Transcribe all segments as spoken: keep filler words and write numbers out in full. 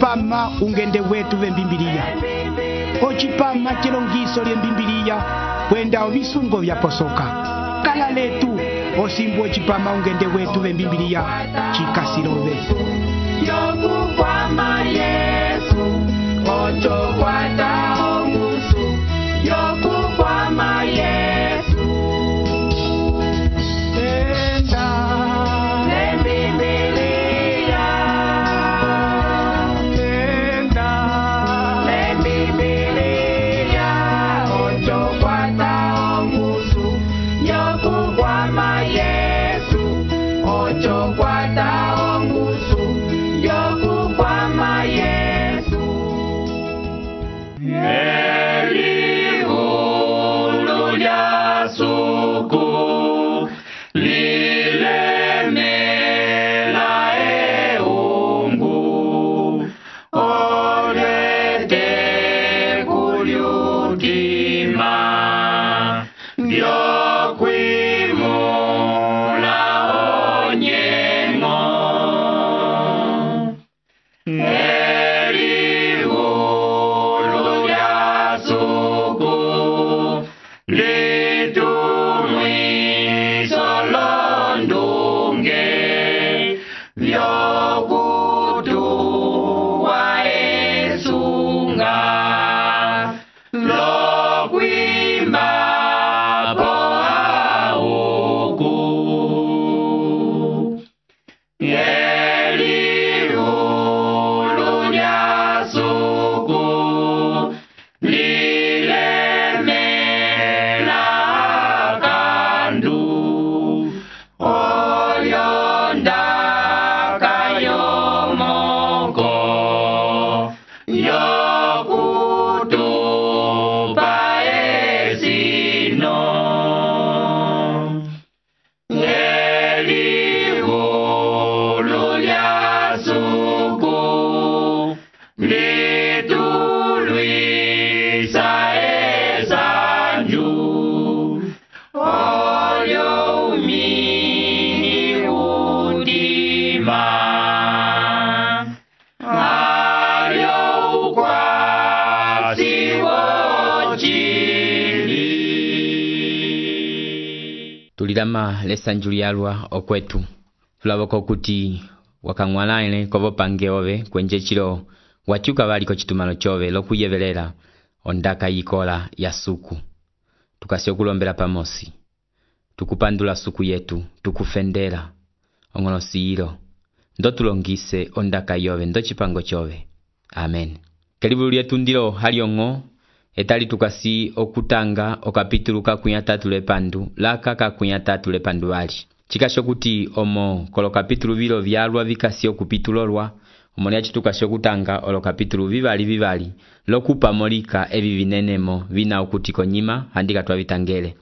ocipama ungende wetu vembimbiliya, ocipama cilongiso lyembimbiliya kwenda ovisungo vyaposoka. Kala letu osimbu ocipama ungende wetu vembimbiliya cikasilove. Yokukwama Yesu, ocho kwata ongusu. Yokukwama Yesu, Enda lembibiliya, enda lembibiliya, ocho kwata ongusu. Yokukwama Yesu, ocho kwata ongusu. Yokukwama Yesu. Elihulu lya suku lilemela eungu, olete kulyutima vyokwimula onyengo. Elihulu lya suku litumwiso londunge vyokutuwa esunga lokwimba po auku. Elihulu lya suku lilemela kandu, olyonda kayomoko yokutupa esino. Elihulu lya suku litulwisa esanju, olyo umini udima, alyo ukwasi wocili. Tulilama lesanju lyalwa okwetu. Tulaboko kuti wakang'walaile kovopange ove kwenje chilo wachuka valiko chitumano chove lokuyevelela ondaka yikola ya suku. Tukasio kulombela pamosi. Tukupandula suku yetu, tukufendela ongono siilo. Ndo tulongise ondaka yove ndo chipango chove. Amen. Kelibu lyetu ndilo haliongo etali tukasi okutanga okapitulu kakunya tatu lepandu laka kakunya tatu lepandu wali. Chikasho kuti omo kolo kapitulu vilo vyalwa vikasi okupitulolwa omo yachi tukasho kutanga olo kapitulu vivali vivali lokupa molika evi vinenemo vina okutiko nyima handika twavitangele.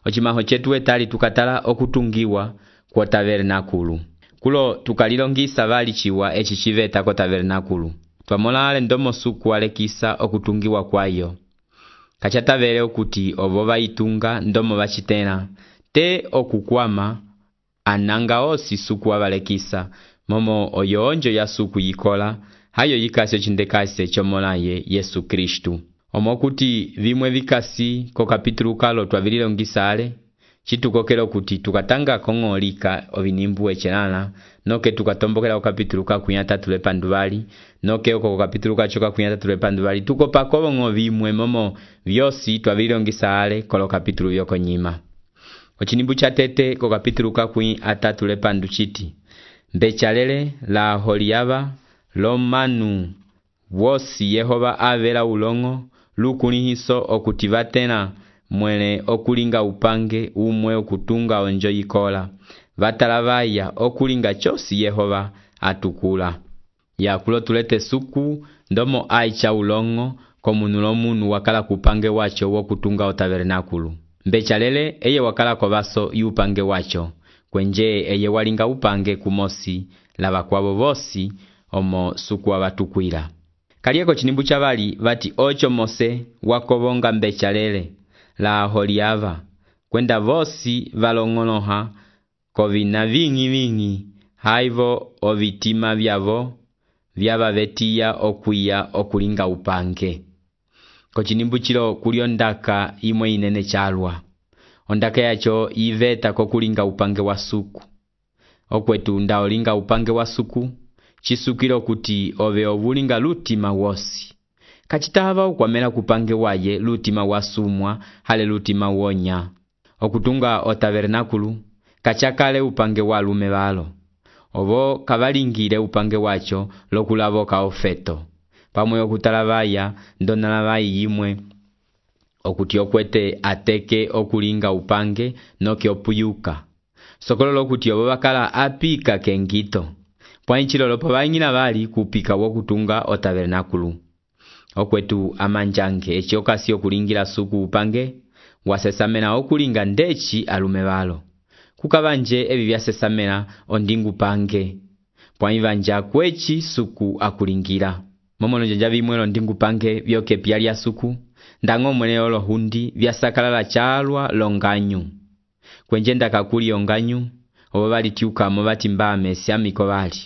Ochimaho chetu etali tukatala okutungiwa kwa tabernakulu. Kulo tukalilongisa vali chiwa echi chiveta kwa tabernakulu. Twamolale ndomo suku alekisa okutungiwa kwayo. Kachatavele okuti ovova itunga ndomo vachitena te okukwama ananga osi suku avalekisa momo oyonjo ya suku yikola hayo yikasi chindekase chomolaye Yesu Kristu. Omo kuti vimwe vikasi ko kapitulu kalo twavililongisa ale chitukokelo kuti tukatanga kongolika ovinimbu echelana noke tukatombokela ko kapitulu kakunya tatu lepandu vali noke oko kapitulu kachoka kunya tatu lepandu vali tukopa kolongo vimwe momo vyosi twavililongisa ale kolo kapitulu vyoko nyima. Ochinimbu cha tete ko kapitulu kakui atatu lepandu chiti mbechalele la holiava lomanu wosi Yehova avela ulongo lukulihiso okutivatena mwele okulinga upange umwe okutunga onjo yikola vatalavaya okulinga chosi Yehova atukula. Ya kulo tulete suku ndomo aicha ulongo komunulo munu wakala kupange wacho wokutunga o tabernakulu. Mbechalele eye wakala kovaso yupange wacho kwenje eye walinga upange kumosi lava kwabo vosi omo suku wabatukwila. Kalieko chinimbu chavali vati ocho mose wakobonga mbechalele la holiava kwenda vosi valongonoha kovina vingi vingi haivo ovitima vyavo vyaba betiya okwiya okulinga upange. Kochinimbu chilo kuli ondaka imwe inene chalwa. Ondaka yacho yiveta kokulinga upange wa suku. Okwetu nda olinga upange wa suku, chisukilo kuti ove ovulinga lutima wosi. Kachitava ukwamela kupange waye lutima wasumwa hale lutima wonya. Okutunga o tabernakulu, kachakale upange wa lume balo. Ovo kavalingile upange wacho lokulavoka ofeto. Pamwe okutalavaya ndonalavayi yimwe. Okuti okwete ateke okulinga upange noke opuyuka. Sokolo lokuti obo bakala apika kengito. Pwainchilo lopo banyina bali kupika wokutunga o tabernakulu. Okwetu amanjange echi okasi okulingira suku upange, wasesamena okulinga ndechi alume balo. Kukabanje ebi byasesamena ondingu pange. Pwaivanja kwechi suku akulingira. Momono janja bimwelo ndingu pange byoke piali suku. Ndango mwene olo hundi byasakalala chalwa longanyu. Kwenjenda kakuli onganyu, obo bali tiuka mobati mbame siamiko bali.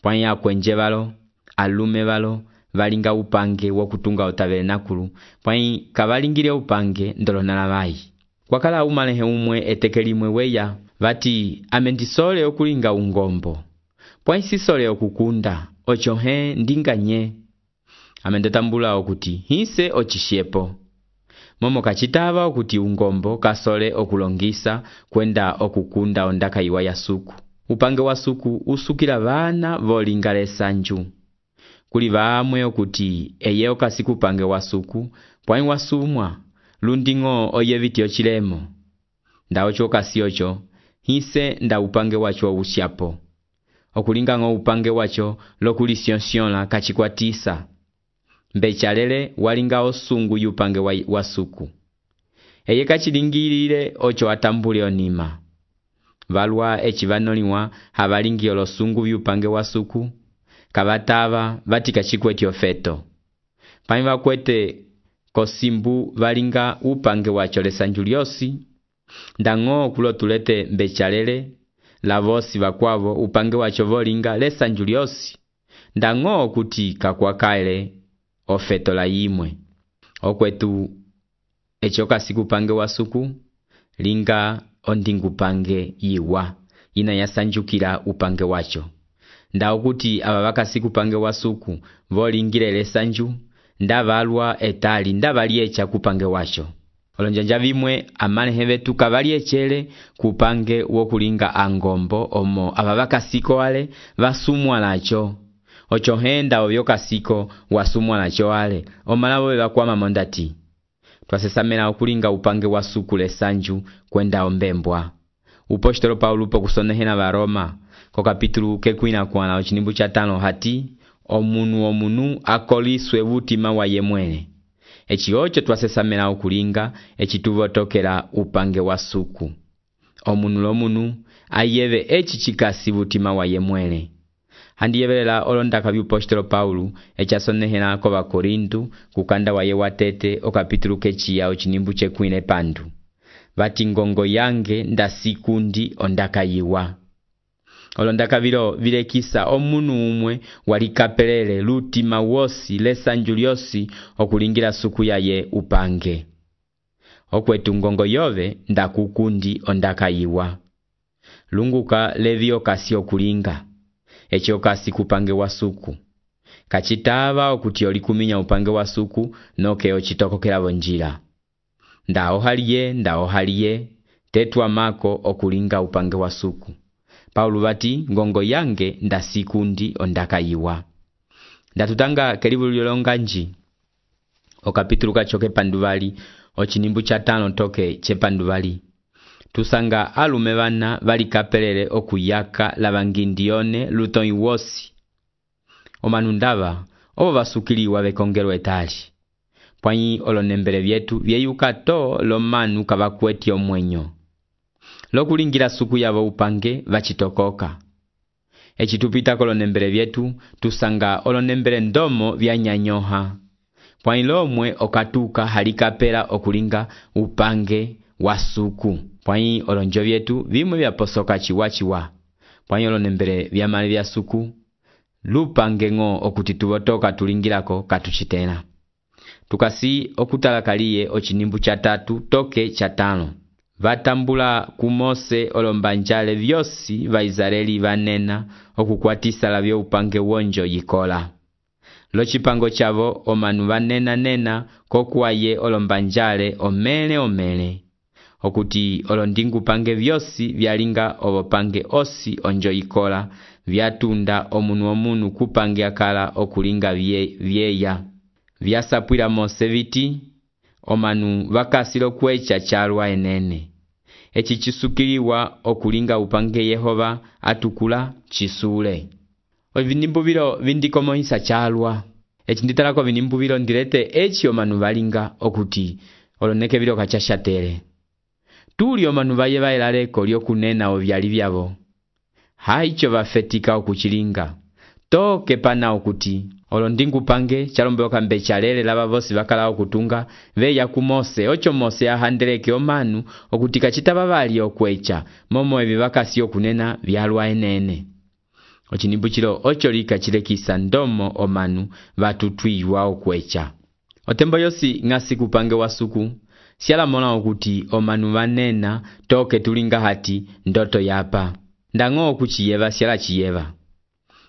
Pwanya kwenje balo, alume balo, balinga upange wokutunga o tabernakulu. Pwanyi kabalingire upange ndolo nalabayi. Kwakala umalehe umwe etekelimwe weya, bati amendisole okulinga ungombo. Pwanyi sisole okukunda, ochohe ndinganye. Amendetambula okuti hise ochishepo. Momo kachitava okuti ungombo kasole okulongisa kwenda okukunda ondaka iwa ya suku. Upange wa suku usukila bana volingale sanju. Kuli baamwe okuti eye okasiku upange wa suku, pwanyi wasumwa, lundingo oyeviti ochilemo. Nda ocho kasi ocho, hise nda upange wacho usyapo. Okulinga ngo upange wacho lokuli sionsiola kachikwatisa. Mbechalele walinga osungu yupange wa, wa suku. Eye kachilingilile ocho atambule onima. Valwa echivanoliwa habalingi olosungu yupange wa suku. Kabatava batika chikweti ofeto. Pamiva kwete kosimbu valinga upange wacho lesanjuliosi. Ndango kulo tulete mbechalele la vosi vakwavo upange wacho volinga lesanjuliosi. Ndango kuti kakwakaile ofeto la yimwe. Okwetu echoka siku pange wa suku linga ondingu pange yiwa ina yasanjukira upange wacho. Nda okuti ababaka siku pange wa suku volingire lesanju nda valwa etali nda valiecha kupange wacho. Olonjanja bimwe amane hebetu kavaliechele kupange wokulinga angombo omo ababaka siko wale vasumwa lacho. Ocho henda ovyoka siko wasumwa lacho wale omalabo bebakwama mondati. Twasesamena okulinga upange wa suku lesanju kwenda ombembwa. Upostolo Paulo po kusonehena ba Roma ko kapitulu kekwina kwana ochinimbu cha tano hati omunu omunu akoliswe butima wa yemwene. Echi ocho twasesamena okulinga echituvotokera upange wa suku. Omunu lomunu ayeve echi chikasi butima wa yemwene. Handi yebelela olondaka byupostolo Paulo echasonehena ko bakorintu kukanda waye watete o kapitulu kechiya ochinimbu chekwine pandu. Bati ngongo yange ndasikundi ondaka yiwa. Olondaka biro vilekisa omunu umwe walikapelele lutima wosi lesanjuliosi okulingira suku yaye upange. Okwetu ngongo yove ndakukundi ondaka yiwa. Lunguka levio kasi okulinga. Echi okasi kupange wa suku. Kachitava okuti olikuminya upange wa suku noke ochitokokela bonjila. Nda ohaliye, nda ohaliye, tetwa mako okulinga upange wa suku. Paulo bati ngongo yange ndasikundi ondaka yiwa. Ndatutanga kelibu lyolonganji. O kapitulu kachoke panduvali, ochinimbu cha tano toke che panduvali. Tusanga alume bana bali kapelele okuyaka labangindione lutoi wosi. Omanundava, obo basukiliwa bekongero etali. Pwanyi olonembele byetu byeyuka to lomanu kabakweti omwenyo. Lokulingira suku yabo upange bachitokoka. Echitupita kolonembele byetu tusanga olonembele ndomo byanyanyoha. Pwanyi lomwe okatuka halikapela okulinga upange wa suku. Pwanyi olonjo byetu bimwe byaposoka chiwa chiwa. Pwanyi olonembele byamale bya suku lupange ng'o okuti tuvotoka tulingilako katuchitela. Tukasi okutalakaliye ochinimbu cha tatu toke cha tano. Vatambula ku Mose olombanjale vyosi va Israeli vanena okukwatisa lavyo upange wonjo yikola. Lochipango chavo omanu vanena nena kokuwaye olombanjale omele omele. Okuti olondingu pange vyosi vyalinga ovopange osi onjo yikola vyatunda omunu omunu kupange akala okulinga vye, vyeya. Vyasapwila Mose viti omanu vakasilo kwecha chalwa enene. Echi chisukiliwa okulinga upange Yehova atukula chisule. Ovinimbu vilo vindikomohisa chalwa. Echi nditalako vinimbu vilo ndirete echi omanu valinga okuti oloneke vilo kachashatere. Tuli omanu vaye vaelaleko lyokunena ovyali vyavo. Haicho vafetika okuchilinga. Toke pana okuti olondingu pange chalombeoka mbechalele lava vosi vakala okutunga veya ku Mose ocho Mose ahandeleke omanu okuti kachitaba vali okwecha momo evi vakasi okunena vyalwa enene. Ochinimbu chilo ocho lika chilekisa ndomo omanu vatutwiwa okwecha. Otembo yosi ngasi kupange wasuku siala mona okuti omanu vanena toke tulinga hati ndoto yapa. Ndango okuchiyeva siala chiyeva.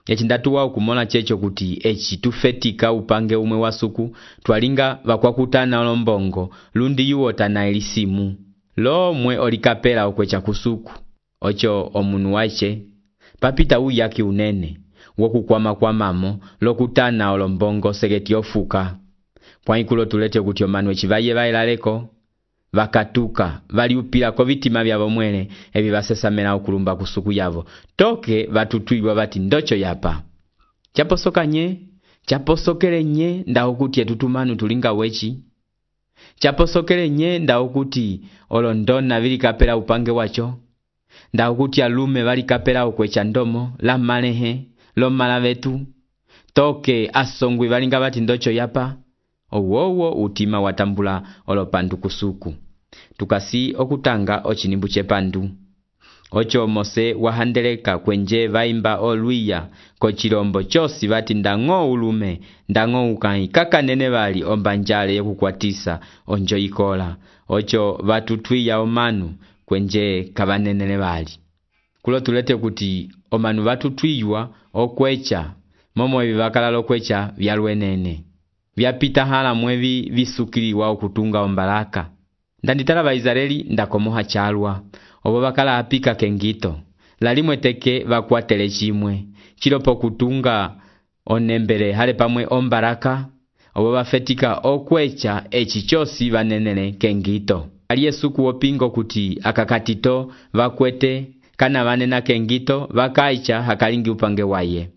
Echi ndatuwa okumona checho kuti echi tufetika upange umwe wasuku twalinga vakwakutana olombongo lundi yuota na elisimu. Lo mwe olikapela okwecha kusuku. Ocho omunu waiche papita uyaki unene wokukwama kwa mamo lokutana olombongo segeti ofuka. Pwaikulo tulete kuti omanu echivaye vaelaleko vakatuka valiupila ko vitima vyavo mwene evi vasesamela okulumba kusuku yavo. Toke vatutwiwa vati ndocho yapa. Chaposoka nye, chaposokele nye nda okuti etutumanu tulinga wechi. Chaposokele nye nda okuti olondona vili kapela upange wacho. Nda okuti alume vali kapela ukwecha ndomo, la malehe, lo malavetu. Toke asongwi valinga vati ndocho yapa. Owowo utima watambula olopandu kusuku. Tukasi okutanga ochinimbu chepandu. Ocho Mose wahandeleka kwenje vaimba oluia kochilombo chosi vati ndango ulume ndango ukai kaka nene vali ombanjale yokukwatisa onjo ikola. Ocho vatutwiya omanu kwenje kavanenene vali. Kulo tulete kuti omanu vatutwiywa okwecha momo evi vakala lokwecha vyalwenene. Vyapita hala mwevi visukiliwa okutunga ombalaka. Ndanditala va Israeli ndakomoha chalwa. Obo bakala apika kengito. Lalimwe teke vakwatele chimwe. Chilopo kutunga onembele hale pamwe ombalaka. Obo bafetika okwecha echichosi vanenene kengito. Aliye suku opingo kuti akakatito vakwete kana vanena kengito vakaicha hakalingi upange waye.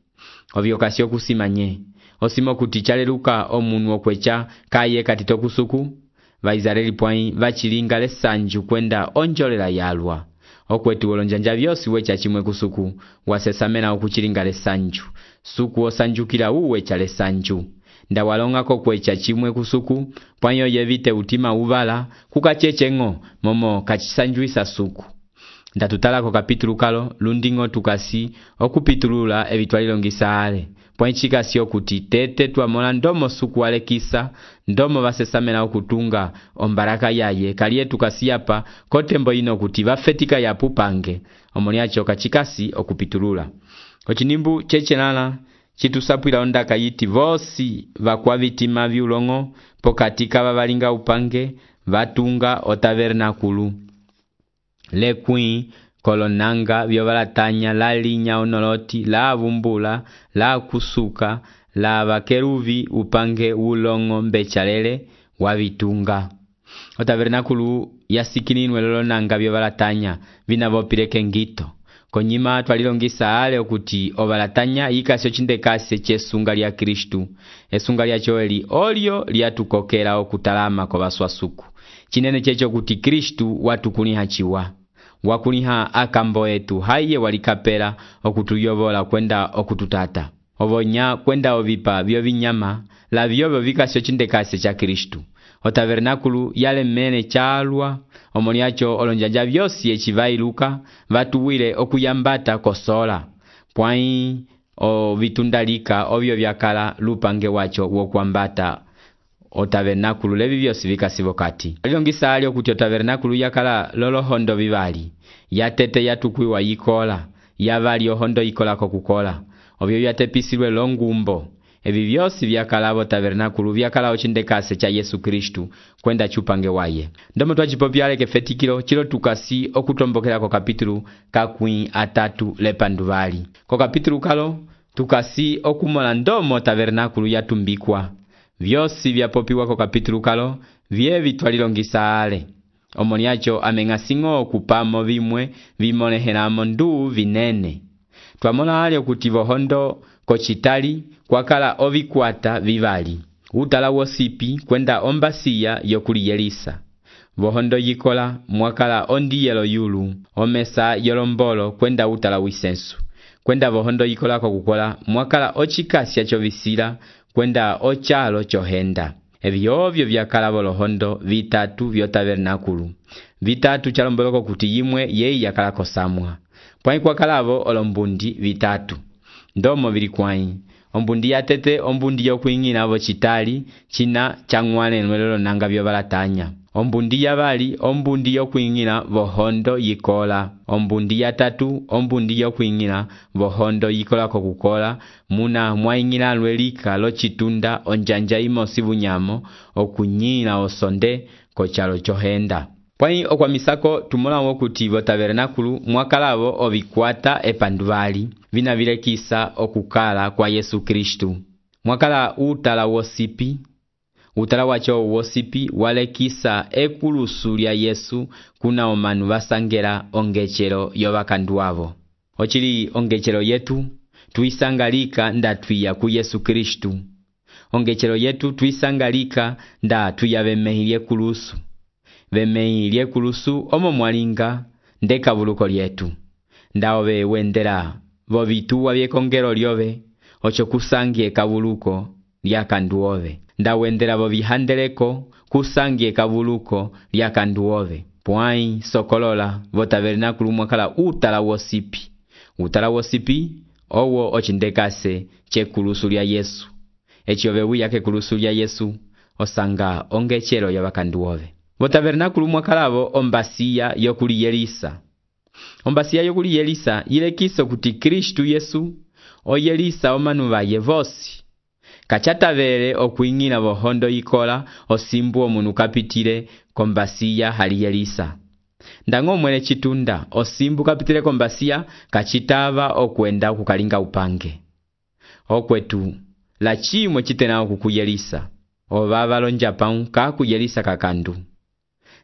Ovyo kasio kusimanye. Osimo kuti chaleluka omunu okwecha kaye katito kusuku. Va Israeli pwai vachilinga lesanju kwenda onjolela yalwa. Okwetu olonjanja vyosi wecha chimwe kusuku wasesamena okuchilinga lesanju. Suku osanjukila uwecha lesanju. Nda walonga kokwecha chimwe kusuku pwanyo yevite utima uvala kukacheche ngo momo kachisanjuisa suku. Nda tutalako kapitulu kalo lundingo tukasi okupitulula evitwalilongisa ale. Pwanchika sio kuti tete tuamola ndomo suku walekisa ndomo vasesamena okutunga ombaraka yaye kaliye tukasiapa kotembo ino kuti vafetika yapu pange omoliacho kachikasi okupitulula. Ochinimbu chechenala chitusapwila ondaka yiti vosi vakwa vitima vyulongo pokatika vavalinga upange vatunga otavernakulu. Lekwi kolonanga vyovalatanya la linya onoloti la vumbula la kusuka la vakeruvi upange ulongo mbechalele wavitunga. Otavernakulu yasikininwe lolonanga vyovalatanya vinavopileke ngito. Konyima twalilongisa ale okuti ovalatanya ikasyo chindekase chesunga lya Kristu. Esunga lya choeli olio liatukokela okutalama kwa baswasuku. Chinene checho kuti Kristu watukuliha chiwa. Wakuliha akambo etu haiye walikapela okutuyovola kwenda okututata. Ovonya kwenda ovipa vyo vinyama la vyovo vikasyo chindekase cha Kristu. Otavernakulu yale mene chalwa omoliacho olonjanja vyosi echivailuka vatuwile okuyambata kosola. Pwai o vitundalika ovyo vyakala lupange wacho wokwambata o tabernakulu levi vyosi vikasivo kati. Alilongisa alio kuti o tabernakulu yakala lolohondo vivali, yatete yatukwiwa yikola, yavali ohondo yikola kokukola, ovyo yatepisilwe longumbo. Evi vyosi vyakala vo tabernakulu vyakala ochindekase cha Yesu Kristu kwenda chupange waye. Ndomo twachipopyale kefetikilo chilo tukasi okutombokela ko kapitulu kakwi atatu lepanduvali. Ko kapitulu kalo tukasi okumola ndomo tabernakulu yatumbikwa. Vyosi vyapopiwa ko kapitulu kalo vye vitwalilongisa ale. Omoni yacho amengasingo okupamo vimwe vimonehelamo ndu vinene. Twamola ale okuti vohondo kochitali kwakala ovikwata vivali. Utala wosipi kwenda ombasiya yokuli Yelisa. Vohondo yikola mwakala ondi yelo yulu, omesa yolombolo kwenda utala wisensu. Kwenda vohondo yikola kokukola mwakala ochikasya chovisila kwenda ochalo chohenda. Evi ovyo vyakala volohondo vitatu vyo tabernakulu. Vitatu chalomboloko kuti yimwe yei yakala kosamwa. Pwai kwakalavo olombundi vitatu. Ndomo vilikwai. Ombundi yatete ombundi yokuingina vo chitali china changwane nwelelo nanga vyobalatanya. Ombundi yavali ombundi yokuingina vohondo yikola. Ombundi yatatu ombundi yokuingina vohondo yikola kokukola muna mwaingina lwelika lo chitunda onjanja imosi bunyamo okunyina osonde kochalo chohenda. Pwai okwamisako tumolawo kuti vo tabernakulu mwakalavo ovikwata epanduvali vina vilekisa okukala kwa Yesu Kristu. Mwakala utala wosipi, utala wacho wosipi walekisa ekulusu lya Yesu kuna omanu vasangela ongechelo yovakanduwavo. Ochili ongechelo yetu tuisangalika nda tuya ku Yesu Kristu. Ongechelo yetu tuisangalika nda tuyavemehilye kulusu. Vemehilye kulusu omo mwalinga ndeka vuluko lyetu. Ndaove wendela vovituwa vyekongelo lyove ocho kusangie kavuluko lyakanduove. Ndawendela vovihandeleko kusangie kavuluko lyakanduove. Pwai sokolola vo tabernakulu mwakala utala wosipi. Utala wosipi owo ochindekase che kulusu lya Yesu. Echiove wiyake kulusu lya Yesu osanga ongechelo yabakanduove. Vo tabernakulu mwakalavo ombasiya yokuli Yelisa. Ombasiya yokuli Yelisa yilekiso kuti Kristu Yesu o Yelisa omanu vaye vosi. Kachatavele okuingina vohondo yikola osimbu omunu kapitile kombasiya hali Yelisa. Ndango mwele chitunda osimbu kapitile kombasiya kachitava okwenda kukalinga upange. Okwetu la chimwe chitena okuku Yelisa. Ovava lonjapau kaku Yelisa kakandu.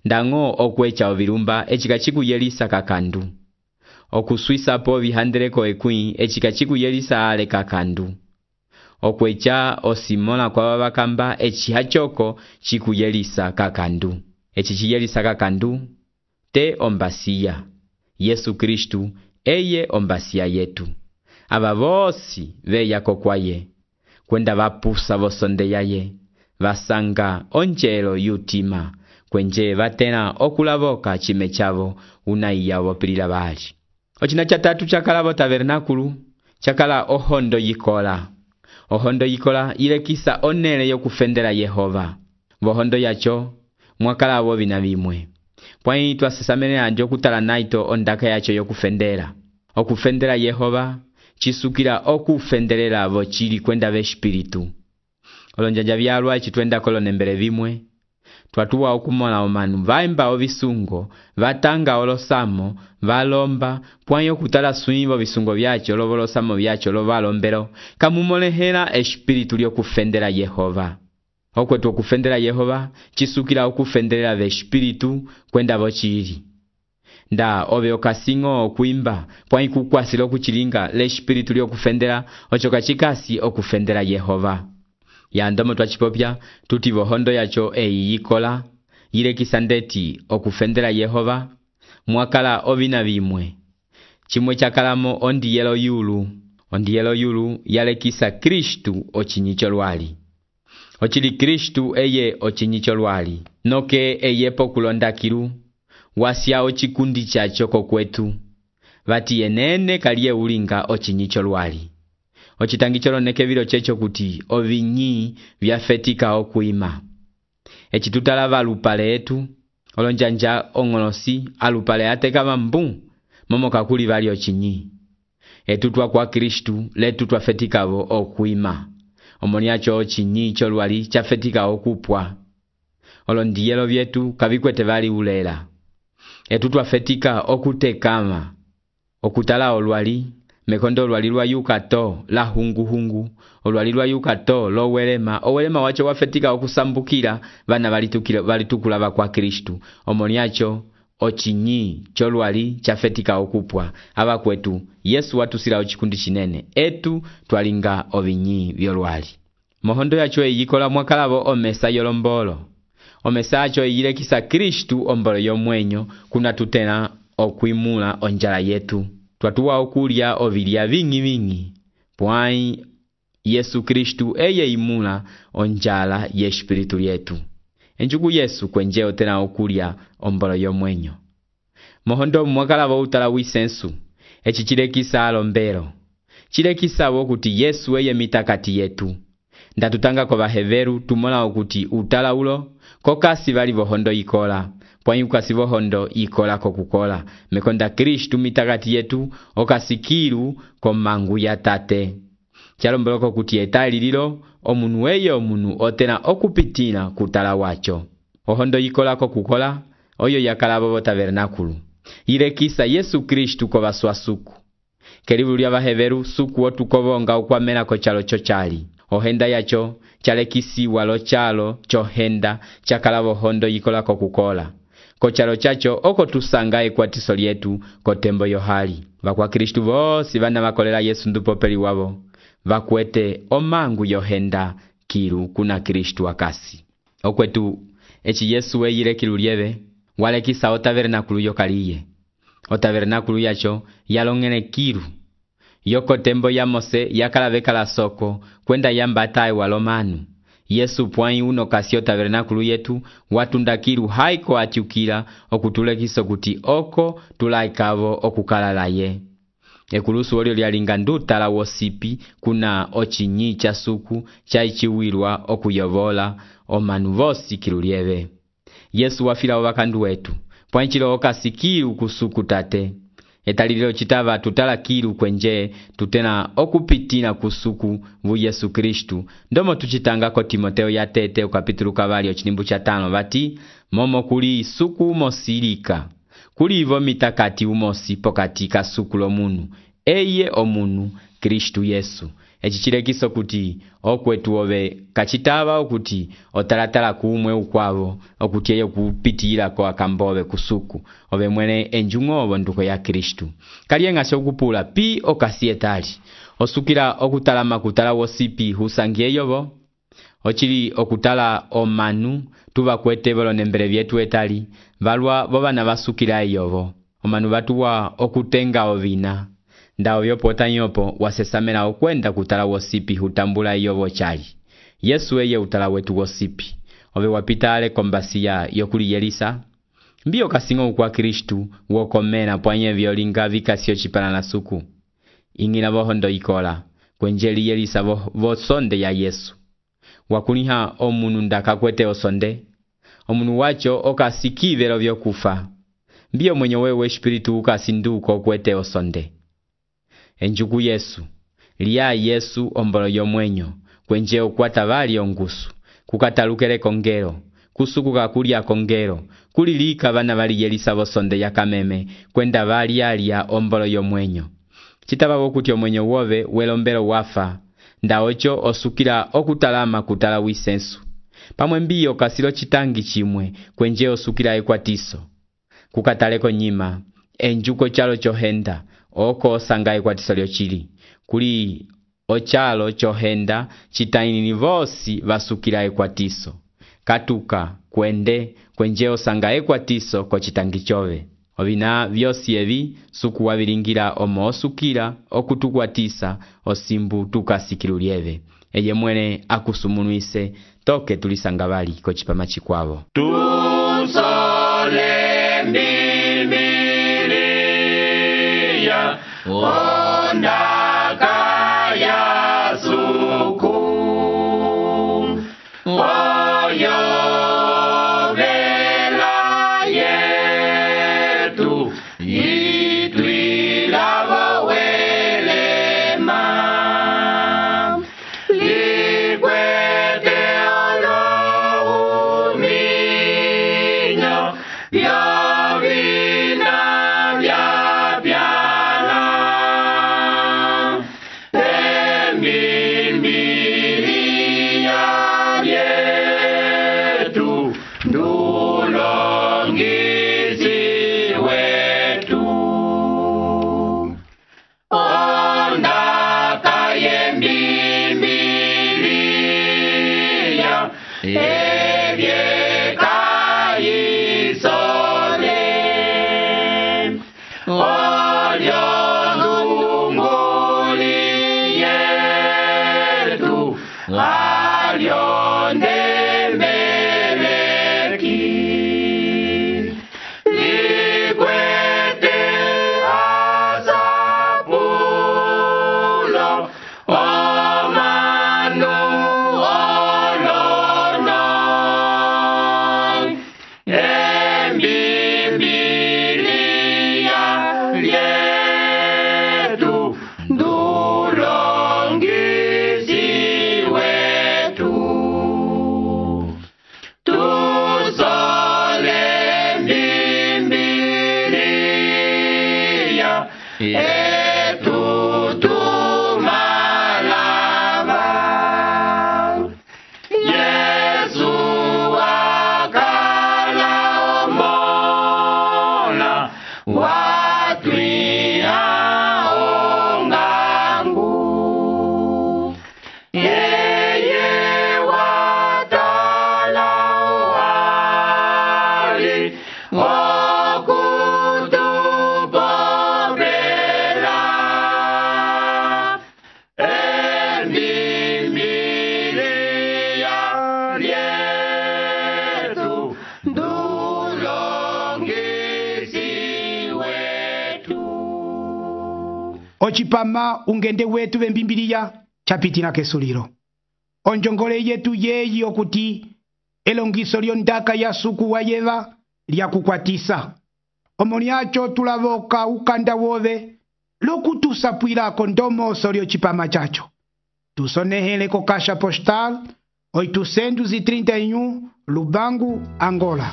Ndango okwecha ovilumba echikachiku Yelisa kakandu. Okuswisa po vihandeleko ekui echikachiku Yelisa ale kakandu. Okwecha osimola kwa wabakamba echihachoko chiku Yelisa kakandu. Echichi Yelisa kakandu te ombasiya. Yesu Kristu eye ombasiya yetu. Aba vosi veya kokwaye. Kwenda vapusa vosonde yaye. Vasanga onjelo yutima. Kwenje vatena okulavoka chime chavo unaiya wopilila bali. Ochina chatatu chakala vo tabernakulu chakala ohondo yikola. Ohondo yikola ilekisa onele yokufendela Yehova. Vohondo yacho mwakala vo vina vimwe. Pwai twasesamene anjo kutala naito ondaka yacho yokufendela. Okufendela Yehova chisukila okufendelela vo chili kwenda ve espiritu. Olonjanja vyalwa chitwenda kolonembele vimwe. Twatuwa okumola omanu vaimba ovisungo, vatanga olosamo, valomba, pwanyo kutala suivo visungo vyacho, lovolosamo vyacho, lovalombelo, kamumolehela espiritu lyokufendela Yehova. Okwetu okufendela Yehova, chisukila okufendelela ve espiritu kwenda vochili. Nda ove okasingo okuimba, pwanyi kukwasi lokuchilinga le espiritu lyokufendela, ochoka chikasi okufendela Yehova. Ya ndomo twachipopya tuti vohondo yacho eyi yikola yilekisa ndeti okufendela Yehova mwakala ovina vimwe. Chimwe chakalamo ondi yelo yulu. Ondi yelo yulu yalekisa Kristu ochinyicho lwali. Ochili Kristu eye ochinyicho lwali. Noke eye pokulonda kilu. Wasya ochikundi chacho kokwetu. Vati yenene kalie ulinga ochinyicho lwali. ocitangi coloneke vilo checho kuti ovinyi vyafetika okuima. Eci tutalava alupale etu olonjanja ong'olosi alupale atekava mbu momo kakuli vali ocinyi. Etutwa kwa Kristu letu twafetikavo okuima. Omoni acho ocinyi cholwali chafetika okupwa. Olondiyelo vyetu kavikwete vali ulela. Etu twafetika okutekama. Okutala olwali mekondo olwali lwa yukato la hungu hungu. Olwali lwa yukato lo welema. Owelema wacho wafetika okusambukira vana valitukulava kwa Kristu. Omoni acho ocinyi cholwali chafetika okupwa. Aba kwetu Yesu watusila ochikundi chinene. Etu twalinga ovinyi vyolwali. Mohondo yacho eyikola mwakalavo omesa yolombolo. Omesa acho eyilekisa Kristu ombolo yomwenyo kuna tutena okuimula onjala yetu. Twatuwa okulya ovilya vingi vingi. Pwai Yesu Kristu eye imula onjala ye espiritu yetu. Enjugu Yesu kwenje otena okulya ombolo yomwenyo. Mohondo mwakalavo utala wisensu. Echi chilekisa alombero. Chilekisa wokuti Yesu eye mitakati yetu. Ndatutanga kwa baheveru tumola okuti utala ulo kokasi vali vohondo ikola. Pwai ukasi vohondo ikola kokukola. Mekonda Kristu mitakati yetu okasikiru komangu ya tate. Chalomboloko kuti etali lilo omunu weye omunu otena okupitina kutala wacho. Ohondo ikola kokukola oyo yakalabo bo tabernakulu. Ilekisa Yesu Kristu kwa baswasuku. Kelibu lya baheveru suku otukobonga ukwamela ko chalo chochali. Ohenda yacho chalekisi walo chalo chohenda chakalabo hondo ikola kokukola. Kochalo chacho oko tusanga ekwatiso lyetu kotembo yohali. Vakwa Kristu vosi vana vakolela Yesu ndupopeli wavo. Vakwete omangu yohenda kiru kuna Kristu akasi. Okwetu echi Yesu weyile kilu lieve walekisa o tabernakulu yokaliye. O tabernakulu yacho yalongene kiru. Yoko tembo ya Mose yakalaveka la soko kwenda yambatae walomanu. Yesu pwai uno kasio tabernakulu yetu watunda kiru haiko atiukila okutulekiso kuti oko tulaikavo okukalala ye. Ekulusu olio lyalinga ndutala wosipi kuna ochinyi cha suku chaichiwirwa okuyovola omanu vosi kilu lieve. Yesu wafila wakandu wetu pwanchilo okasikiru kusuku tate. Etalililo chitava tutala kiru kwenje tutena okupitina kusuku vu Yesu Kristu. Ndomo tuchitanga ko Timoteo ya tete ukapitulu kavali ochinimbu cha tano vati momo kuli suku umosirika. Kuli ivo mitakati umosi pokatika suku lo munu. Eye omunu Kristu Yesu. Echichilekiso kuti okwetu ove kachitava okuti otalatala kuumwe ukwavo okuti eyo kupitira kwa kambove kusuku ove mwene enjungovo nduko ya Kristu. Kalienga shokupula pi okasietali osukira okutala makutala wosipi husangie yovo ochili okutala omanu tuva kwete volo nembele vyetu etali valwa vovana vasukira yovo omanu vatuwa okutenga ovina. Ndao yopo tanyopo wasesamela okwenda kutala wosipi hutambula yovo chali. Yesu eye utala wetu wosipi. Ove wapitale kombasiya yokuli Yelisa. Mbio kasingo kwa Kristu wokomena pwanye vyolinga vikasio chipana na suku. Ingina vohondo ikola. Kwenjeli Yelisa vo, vo sonde ya Yesu. Wakuniha omunu ndaka kwete osonde. Omunu wacho okasikivelo vyokufa. Mbio mwenye wewe espiritu ukasinduko kwete osonde. Enjugu Yesu, liya Yesu ombolo yomwenyo, kwenje ukwata vali ongusu, kukatalukele kongero, kusuku kakulia kongero, kulilika vana vali Yelisa vosonde ya kameme, kwenda vali alia ombolo yomwenyo. Chitaba wokuti omwenyo wove welombelo wafa, ndaocho osukila okutalama kutala wisensu. Pamwe mbio kasilo chitangi chimwe, kwenje osukila ekwatiso. Kukataleko nyima, enjuko chalo chohenda, oko sangaye kwa tisolio chili. Kuli ochalo chohenda chitaini vosi vasukila ekwatiso. Katuka kwende kwenjeo sangaye kwa tiso ko chitangi chove. Ovina vyosi evi suku wavilingira omo osukila okutukwatisa osimbu tukasikilu lieve. Eye mwene akusumunuise toke tulisangavali ko chipama chikwavo. Tusole Bibilia onda kaya Yovina vya pyana Embimbilia vyetu Ndulongizi wetu Ondaka yembimbilia Evyeka isole Olyondunguli yetu Alyondembeleki Likwete asapulo Omanu olono Embimbilia lyetu Ndulongizi wetu Tusole embimbilia etu tumalava Yesu wakala omola watwia ongangu Yeye watala wali okutupopela Embimbilia lyetu Ndulongizi wetu ocipama ungende wetu vembimbiliya chapitina kesulilo onjongole yetu yeyi okuti elongiso lyondaka ya suku wa yeva lyakukwatisa omo lyacho tulavoka ukanda wove lokutusapwilako ndomoso lyocipama chacho tusonehele ko caixa postal oitocentos e trinta e um Lubango, Angola.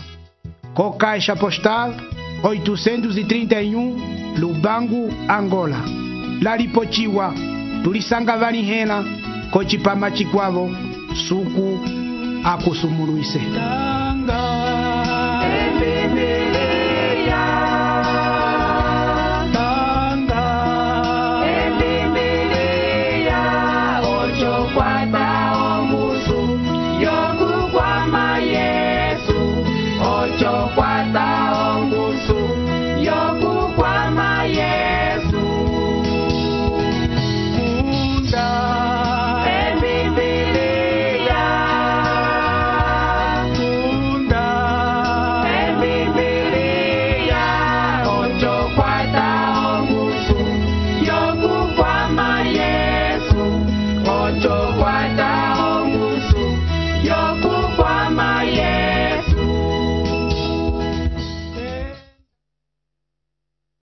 Co caixa postal oitocentos e trinta e um Lubango, Angola. Lalipochiwa tulisanga vanihena ko cipama cikwavo suku akusumuluise. Yokukwama Yesu, ocho kwata